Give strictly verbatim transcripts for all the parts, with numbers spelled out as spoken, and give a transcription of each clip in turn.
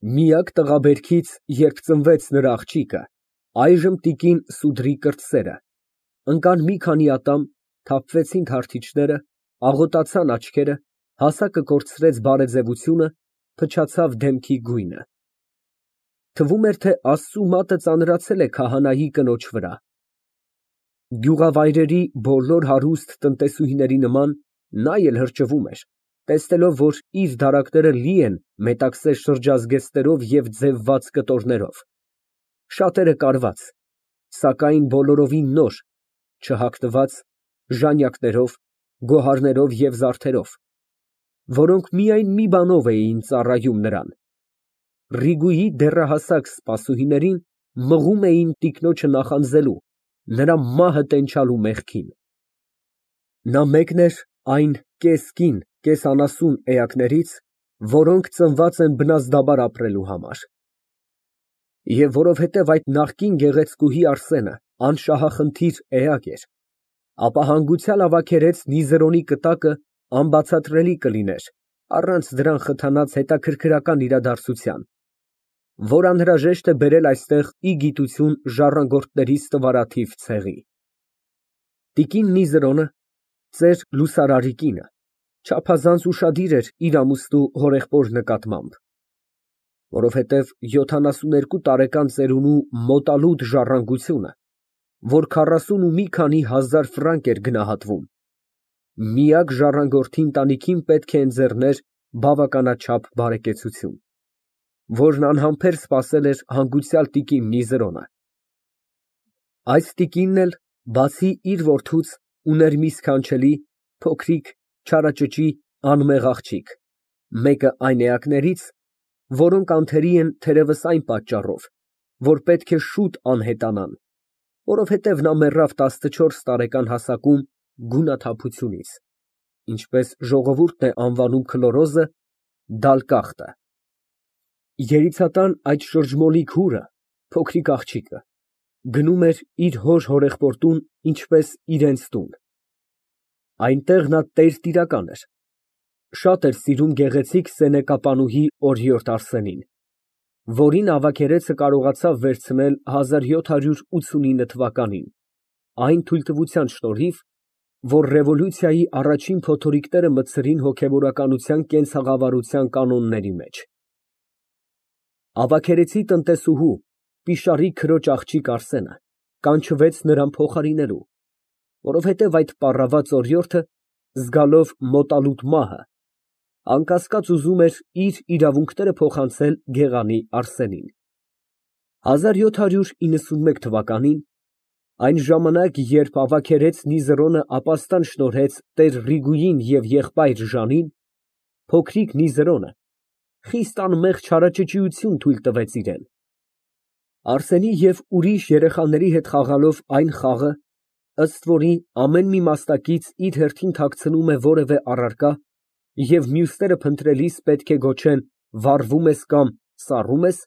Միակ տղաբերքից, երբ ծնվեց նրա աղջիկը, այժմ տիկին Սուդրի կրտսերը, ընկան մի քանի ատամ, թափվեցին քարթիչները, աղոտացան աչքերը, հասակը կորցրեց բարեձևությունը, փչացավ դեմքի գույնը։ Թվում էր, թե Աստծու մատը ծանրացել է քահանայի կնոջ վրա։ Գյուղավայրերի բոլոր հարուստ տնտեսուհիների նման նա էլ հրճվում էր, տեսնելով, որ իր դարակները լի են մետաքսե շրջազգեստներով և ձևված կտորներով, շատերը կարված, սակայն բոլորովին նոր, չհագնված, ժանյակներով, գոհարներով և զարդերով, որոնք միայն մի բանով էին ծառայում նրան, Ռիգուի դեռահասակ սպասուհիներին մղում էին տիկնոջը նախանձելու, նրա մահը տենչալու մեղքին։ Նա մեկն էր այն կես կին, կես անասուն էակներից, որոնք ծնված են բնազդաբար ապրելու համար։ Եվ որովհետև այդ նախկին գեղեցկուհի Արսենը անշահախնդիր էակ էր, ապա հանգուցյալ ավագերեց Նիզերոնի կտակը անբացատրելի կլիներ առանց դրան խթանած հետաքրքրական իրադարձության, որ անհրաժեշտ է բերել այստեղ ի գիտություն ժառանգորդների ստվարաթիվ ցեղի։ Տիկին Նիզերոնը, ծեր Լուսարարի կինը, չափազանց ուշադիր էր իր ամուսնու հորեղբոր նկատմամբ, որովհետև յոթանասուներկու տարեկան ծերունու մոտալուտ ժառանգությունը, որ քառասուն ու մի քանի հազար ֆրանկ էր գնահատվում, միակ ժառանգորդի ընտանիքին պետք է ընձեռներ բավականաչափ բարեկեցություն, որն անհամբեր սպասել էր հանգուցյալ տիկին Նիզերոնը։ Այս տիկինն էլ, բացի իր որդուց, ուներ մի սքանչելի, փոքրիկ, չարաճճի, անմեղ աղջիկ, մեկը այն էակներից, որոնք անթերի են թերևս այն պատճառով, որ պետք է շուտ անհետանան, որովհետև նա մեռավ տասնչորս տարեկան հասակում գունաթափությունից, ինչպես ժողովուրդն է անվանում քլորոզը, դալկախտը։ Երիցատան այդ շրջմոլիկ հուրը, փոքրիկ աղջիկը, գնում էր իր հոր հորեղբոր տուն, ինչպես իրենց տուն։ Այնտեղ նա տերտիրական էր, շատ էր սիրում գեղեցիկ սենեկապանուհի օրիորդ Արսենին, որին ավագերեցը կարողացավ վերցնել հազար յոթ հարյուր ութսունինը թվականին, այն թույլտվության շնորհիվ, որ ռևոլյուցիայի առաջին փոթորիկները մտցրին հոգևորականության կենցաղավարության կանոնների մեջ։ Ավագերեցի տնտեսուհու, պիշարի քրոջ աղջիկ Արսենը կանչվեց նրան փոխարինելու, որովհետև այդ պառաված օրիորդը, զգալով մոտալուտ մահը, անկասկած ուզում էր իր իրավունքները փոխանցել գեղանի Արսենին։ հազար յոթ հարյուր իննսունմեկ թվականին, այն ժամանակ, երբ ավագերեց Նիզերոնը ապաստան շնորհեց տեր Ռիգուին և եղբայր Ժանին, փոքրիկ Նիզերոնը խիստ անմեղ չարաճճիություն թույլ տվեց իրան։ Արսենի և ուրիշ երեխաների հետ խաղալով այն խաղը, ըստ որի ամեն մի մասնակից իր հերթին թաքցնում է որևէ առարկա և մյուսները փնտրելիս պետք է գոչեն վառվում ես կամ սառում ես,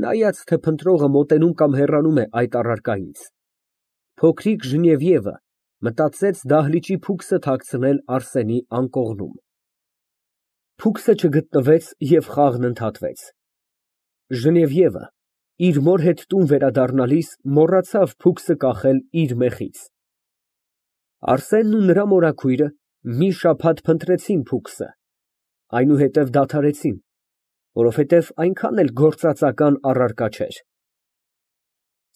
նայած թե փնտրողը մոտենում կամ հեռանում է այդ առարկայից, փոքրիկ Ժնևիևը մտածեց դահլիճի փուքսը թաքցնել Արսենի անկողնում։ Փուքսը չգտնվեց և խաղն ընդհատվեց։ Ժնևիևը, իր մոր հետ տուն վերադառնալիս, մոռացավ փուքսը կախել իր մեխից։ Արսենն ու նրա մորաքույրը մի շաբաթ փնտրեցին փուքսը, այնուհետև դադարեցին, որովհետև այնքան էլ գործածական առարկա չէր։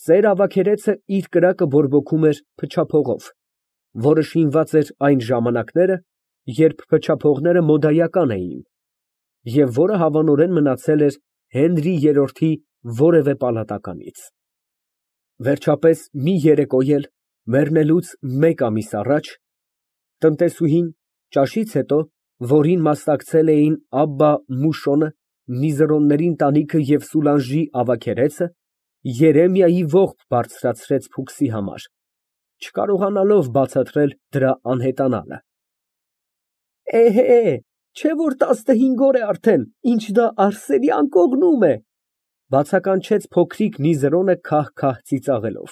Ծեր ավագերեցը իր կրակը բորբոքում էր փչափողով, որը շինված էր այն ժամանակները, երբ փչափողները մոդայական էին, և որը հավանորեն մնացել էր Հենրի երրորդի որևէ պալատականից։ Վերջապես մի երեկո էլ, մեռնելուց մեկ ամիս առաջ, տնտեսուհին, ճաշից հետո, որին մասնակցել էին Աբբա Մուշոնը, Նիզերոնների ընտանիքը և Սուլանժի ավագերեցը, Երեմիայի ողբ բարձրացրեց փուքսի համար, չկարողանալով բացատրել դրա անհետանալը։ Էհե, չէ՞ որ տասնհինգ օր է արդեն, ինչ դա Արսենի անկողնում է, բացականչեց փոքրիկ Նիզերոնը քահ֊քահ ծիծաղելով։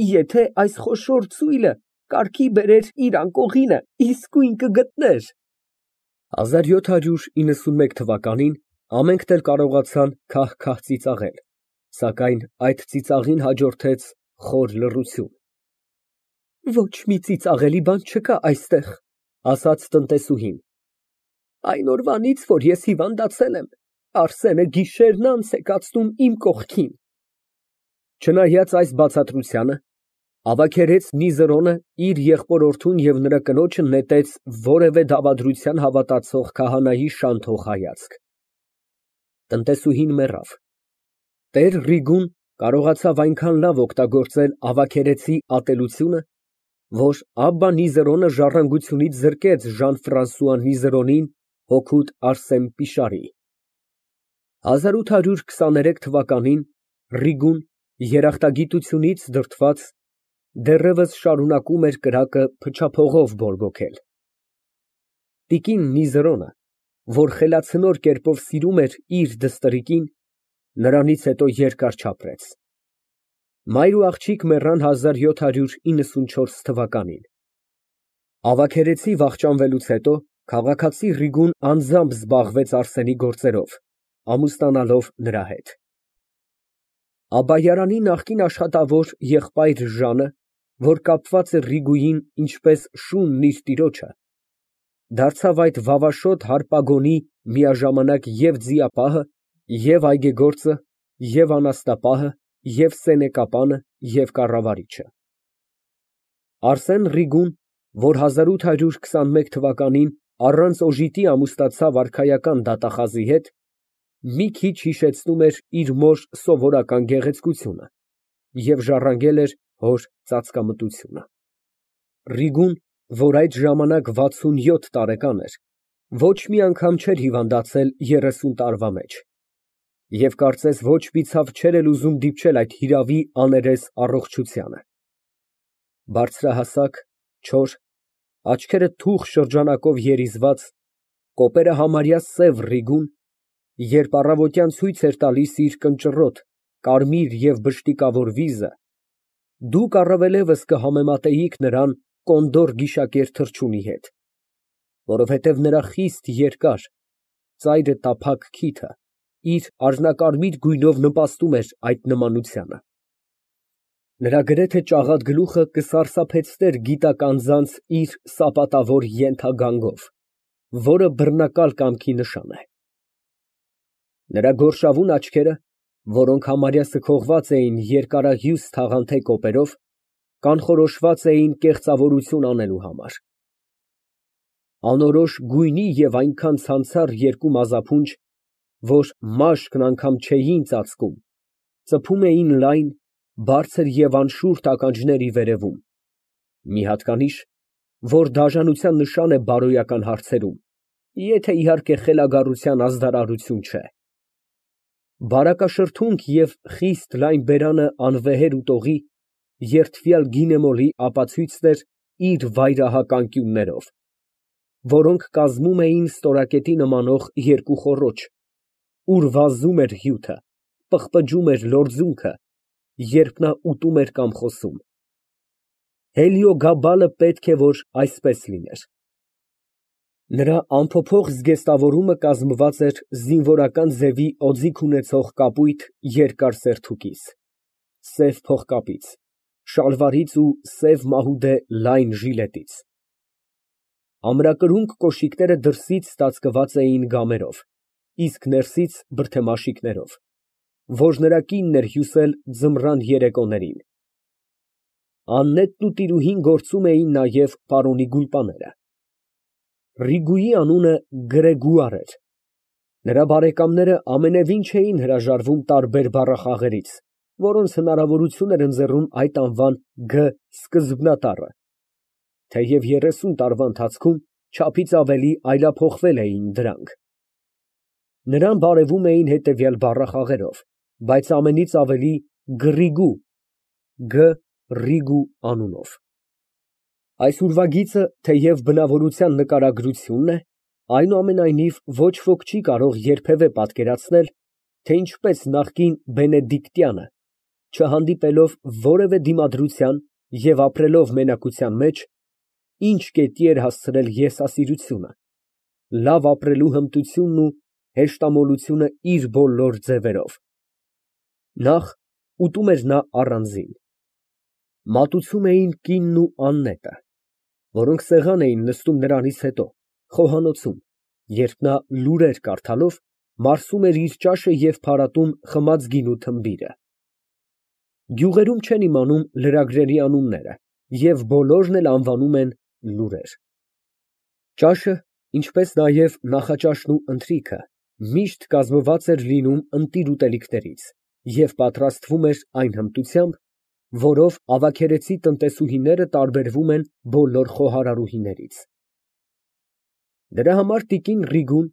Եթե այս խոշոր ծույլը կարգի բերեր իր անկողինը, իսկույն կգտներ։ հազար յոթ հարյուր իննսունմեկ թվականին Ամենքն էլ կարողացան քահ֊քահ ծիծաղել, սակայն այդ ծիծաղին հաջորդեց խոր լռություն։ Ոչ մի ծիծաղելի բան չկա այստեղ, ասաց տնտեսուհին։ Այն օրվանից, որ ես հիվանդացել եմ, Արսենը գիշերն անց է կացնում իմ կողքին։ Չնայած այս բացատրությանը, ավագերեց Միզերոնը իր եղբորորդուն և նրա կնոջը նետեց որևէ դավադրության հավատացող քահանայի շանթող հայացք։ Տնտեսուհին մեռավ։ Տեր Ռիգուն կարողացավ այնքան լավ օգտագործել ավագերեցի ատելությունը, որ Աբբա Նիզերոնը ժառանգությունից զրկեց Ժան֊Ֆրանսուଆ Նիզերոնին, հօգուտ Արսեն Պիշարի։ հազար ութ հարյուր քսաներեք թվականին Ռիգուն, երախտագիտությունից դրդված, դեռևս շարունակում էր կրակը փչափողով բորբոքել։ Տիկին Նիզերոնը, որ խելացնոր կերպով սիրում էր իր դստրիկին, նրանից հետո երկար չապրեց։ Մայր ու աղջիկ մեռան հազար յոթ հարյուր իննսունչորս թվականին։ Ավագերեցի վախճանվելուց հետո քաղաքացի Ռիգուն անձամբ զբաղվեց Արսենի գործերով, ամուսնանալով նրա հետ։ Աբբայարանի նախկին աշխատավոր եղբայր Ժանը, որ կապված էր Ռիգուին ինչպես շունն իր տիրոջը, դարձավ այդ վավաշոտ հարպագոնի միաժամանակ և ձիապահը, և այգեգործը, և անասնապահը, և սենեկապանը, և կառավարիչը։ Արսեն Ռիգուն, որ հազար ութ հարյուր քսանմեկ թվականին առանց օժիտի ամուսնացավ արքայական դատախազի հետ, մի քիչ հիշեցնում էր իր մոր սովորական գեղեցկությունը և ժառանգել էր հոր ծածկամտությունը։ Ռիգուն, որ այդ ժամանակ վաթսունյոթ տարեկան էր, ոչ մի անգամ չէր հիվանդացել երեսուն տարվա մեջ և կարծես ոչ մի ցավ չէր էլ ուզում դիպչել այդ հիրավի, աներես առողջությանը։ Բարձրահասակ, չոր, աչքերը թուխ շրջանակով երիզված, կոպերը համարյա սև Ռիգուն, երբ առավոտյան ցույց էր տալիս իր կնճռոտ, կարմիր և բշտիկավոր վիզը, դուք առավելևս կհամեմատեիք նրան կոնդոր գիշակեր թռչունի հետ, որովհետև նրա խիստ երկար, ծայրը տափակ քիթը իր առնակարմիր գույնով նպաստում էր այդ նմանությանը։ Նրա գրեթե ճաղատ գլուխը կսարսափեցներ գիտակ անձանց իր սապատավոր ենթագանգով, որը բռնակալ կամքի նշան է։ Նրա գորշավուն աչքերը, որոնք համարյա սքողված էին երկարահյուս թաղանթե կոպերով, կանխորոշված էին կեղծավորություն անելու համար։ Անորոշ գույնի և այնքան ցանցառ երկու մազափունջ, որ մաշկն անգամ չէին ծածկում, ծփում էին լայն, բարձր և անշուրթ ականջների վերևում, մի հատկանիշ, որ դաժանության նշան է բարոյական հարցերում, եթե, իհարկե, խելագարության ազդարարություն չէ։ Բարակաշրթունք և խիստ լայն բերանը անվեհեր ուտողի, երդվյալ գինեմոլի ապացույցն էր իր վայրահակ անկյուններով, որոնք կազմում էին ստորակետի նմանող երկու խոռոչ, ուր վազում էր հյութը, պղպջում էր լորձունքը, երբ նա ուտում էր կամ խոսում։ Հելիոգաբալը պետք է որ այսպես լիներ։ Նրա անփոփոխ զգեստավորումը կազմված էր զինվորական ձևի օձիք ունեցող կապույտ երկար սերթուկից, սև փողկապից, շալվարից ու սև մահուդե լայն ժիլետից։ Ամրակրունկ կոշիկները դրսից ծածկված էին գամերով, իսկ ներսից բրդեմաշիկներով, որ նրա կինն էր հյուսել ձմռան երեկոներին։ Աննետն ու տիրուհին գործում էին նաև պարոնի գուլպաները։ Ռիգուի անունը Գրեգուար էր։ Նրա բարեկամները ամենևին չէին հրաժարվում տարբեր բառախաղերից, որոնց հնարավորություն էր ընձեռում այդ անվան «գ» սկզբնատառը, թեև երեսուն տարվա ընթացքում չափից ավելի այլափոխվել էին դրանք։ Նրան բարևում էին հետևյալ բառախաղերով, բայց ամենից ավելի Գրիգու (Գ. Ռիգու) անունով։ Այս ուրվագիծը, թեև բնավորության նկարագրությունն է, այնուամենայնիվ ոչ ոք չի կարող երբևէ պատկերացնել, թե ինչպես նախկին Բենեդիկտյանը, չհանդիպելով որևէ դիմադրության և ապրելով մենակության մեջ, ինչ կետի էր հասցրել եսասիրությունը, լավ ապրելու հմտությունն ու հեշտամոլությունը իր բոլոր ձևերով։ Նախ ուտում էր նա առանձին։ Մատուցում էին կինն ու Աննետը, որոնք սեղան էին նստում նրանից հետո, խոհանոցում, երբ նա լուրեր կարդալով մարսում էր իր ճաշը և փարատում խմած գինու թմբիրը։ Գյուղերում չեն իմանում լրագրերի անունները և բոլորն էլ անվանում են լուրեր։ Ճաշը, ինչպես նաև նախաճաշն ու ընթրիքը միշտ կազմված էր լինում ընտիր ուտելիքներից և պատրաստվում էր այն հմտությամբ, որով ավագերեցի տնտեսուհիները տարբերվում են բոլոր խոհարարուհիներից։ Դրա համար տիկին Ռիգուն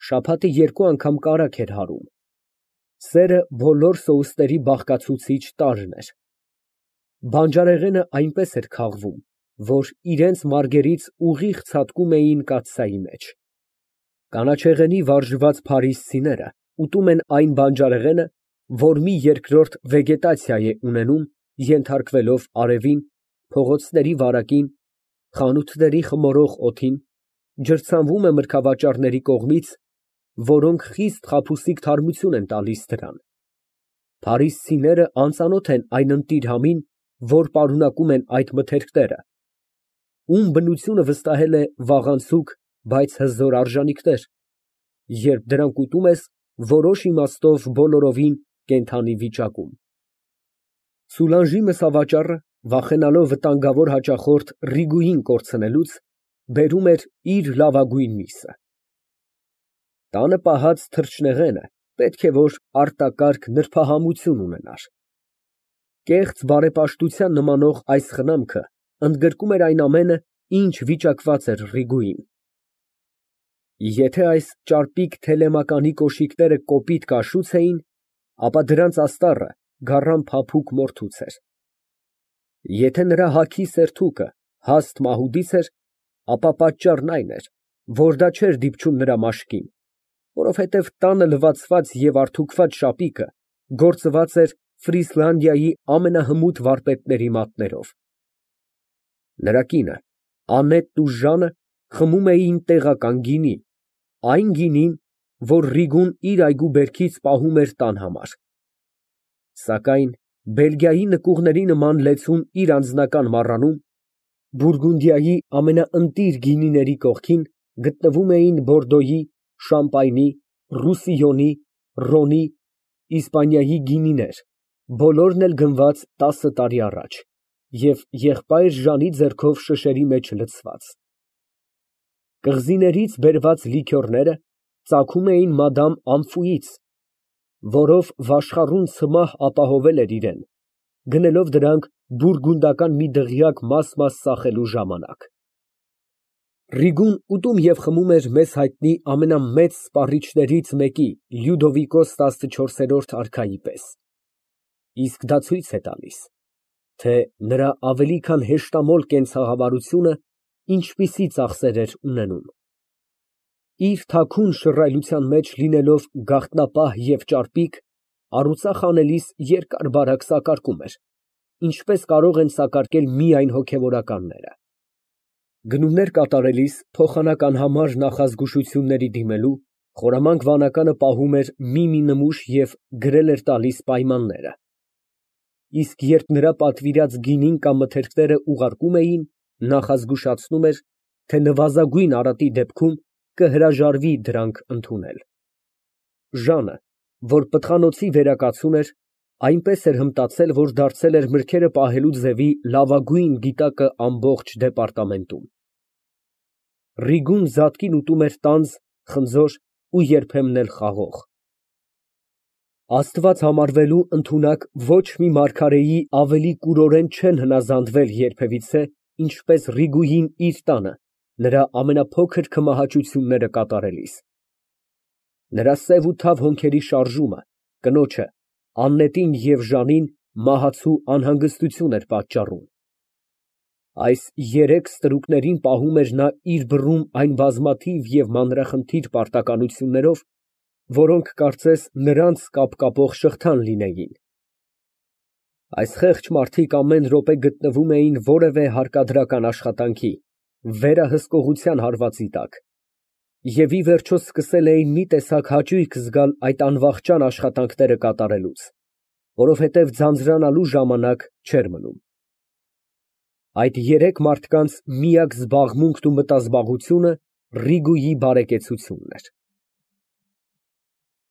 շաբաթը երկու անգամ կարագ էր հարում։ Սերը բոլոր սոուսների բաղկացուցիչ տարրն էր։ Բանջարեղենը այնպես էր քաղվում, որ իրենց մարգերից ուղիղ ցատկում էին կաթսայի մեջ։ Կանաչեղենի վարժված փարիսցիները ուտում են այն բանջարեղենը, որ մի երկրորդ վեգետացիա է ունենում, ենթարկվելով արևին, փողոցների վարակին, խանութների խմորող օդին, ջրցանվում է մրգավաճառների կողմից, որոնք խիստ խաբուսիկ թարմություն են տալիս դրան։ Փարիսցիները անծանոթ են այն ընտիր համին, որ պարունակում են այդ մթերքները, ում բնությունը վստահել է վաղանցուկ, բայց հզոր արժանիքներ, երբ դրանք ուտում ես որոշ իմաստով բոլորովին կենդանի վիճակում։ Սուլանժի մսավաճառը, վախենալով վտանգավոր հաճախորդ Ռիգուին կորցնելուց, բերում էր իր լավագույն միսը։ Տանը պահած թռչնեղենը պետք է որ արտակարգ նրբահամություն ունենար։ Կեղծ բարեպաշտության նմանող այս խնամքը ընդգրկում էր այն ամենը, ինչ վիճակված էր Ռիգուին։ Եթե այս ճարպիկ թելեմականի կոշիկները կոպիտ կաշուց էին, ապա դրանց աստառը գառան փափուկ մորթուց էր։ Եթե նրա հագի սերթուկը հաստ մահուդից էր, ապա պատճառն այն էր, որ դա չէր դիպչում նրա մաշկին, որովհետև տանը լվացված և արթուքված շապիկը գործված էր Ֆրիսլանդիայի ամենահմուտ վարպետների մատներով։ Նրա կինը, Անետն ու Ժանը խմում էին տեղական գինի, այն գինին, որ Ռիգուն իր այգու բերքից պահում էր տան համար։ Սակայն Բելգիայի նկուղների նման լեցուն իր անձնական մառանում, Բուրգունդիայի ամենաընտիր գինիների կողքին գտնվում էին Բորդոյի, Շամպայնի, Ռուսիոնի, Ռոնի, Իսպանիայի գինիներ, բոլորն էլ գնված տասը տարի առաջ և եղբայր Ժանի ձեռքով շշերի մեջ լցված։ Կղզիներից բերված լիքյորները ծագում էին մադամ Ամֆուից, որով վաշխառուն ցմահ ապահովել էր իրան, գնելով դրանք բուրգունդական մի դղյակ մաս֊մաս ծախելու ժամանակ։ Ռիգուն ուտում և խմում էր մեզ հայտնի ամենամեծ սպառիչներից մեկի Լյուդովիկոս տասնչորսերորդ արքայի պես, իսկ դա ցույց է տալիս, թե նրա ավելի քան հեշտամոլ կենցաղավարությունը ինչպիսի ծախսեր էր ունենում։ Իր թաքուն շռայլության մեջ լինելով գաղտնապահ և ճարպիկ, առուծախ անելիս երկար֊բարակ սակարկում էր, ինչպես կարող են սակարկել միայն հոգևորականները։ Գնումներ կատարելիս փոխանական համար նախազգուշությունների դիմելու, խորամանկ վանականը պահում էր մի֊մի նմուշ և գրել էր տալիս պայմանները։ Իսկ երբ նրա պատվիրած գինին կամ մթերքները ուղարկում էին, նախազգուշացնում էր, թե նվազագույն արատի դեպքում կհրաժարվի դրանք ընդունել։ Ժանը, որ պտղանոցի վերակացուն էր, այնպես էր հմտացել, որ դարձել էր մրգերը պահելու ձևի լավագույն գիտակը ամբողջ դեպարտամենտում։ Ռիգուն զատկին ուտում էր տանձ, խնձոր ու երբեմն էլ խաղող։ Աստված համարվելու ընդունակ ոչ մի մարգարեի ավելի կուրորեն չեն հնազանդվել երբևիցե, ինչպես Ռիգուին իր տանը, նրա ամենափոքր քմահաճությունները կատարելիս։ Նրա սև ու թավ հոնքերի շարժումը կնոջը, Աննետին և Ժանին մահացու անհանգստություն էր պատճառում։ Այս երեք ստրուկներին պահում էր նա իր բռում այն բազմաթիվ և մանրախնդիր պարտականություններով, որոնք կարծես նրանց կապկապող շղթան լինեին։ Այս խեղճ մարդիկ ամեն րոպե գտնվում էին որևէ հարկադրական աշխատանքի, վերահսկողության հարվածի տակ, Եվ ի վերջո սկսել էին մի տեսակ հաճույք զգալ այդ անվախճան աշխատանքները կատարելուց, որովհետև ձանձրանալու ժամանակ չէր մնում։ Այդ երեք մարդկանց միակ զբաղմունքն ու մտազբաղությունը Ռիգուի բարեկեցությունն էր։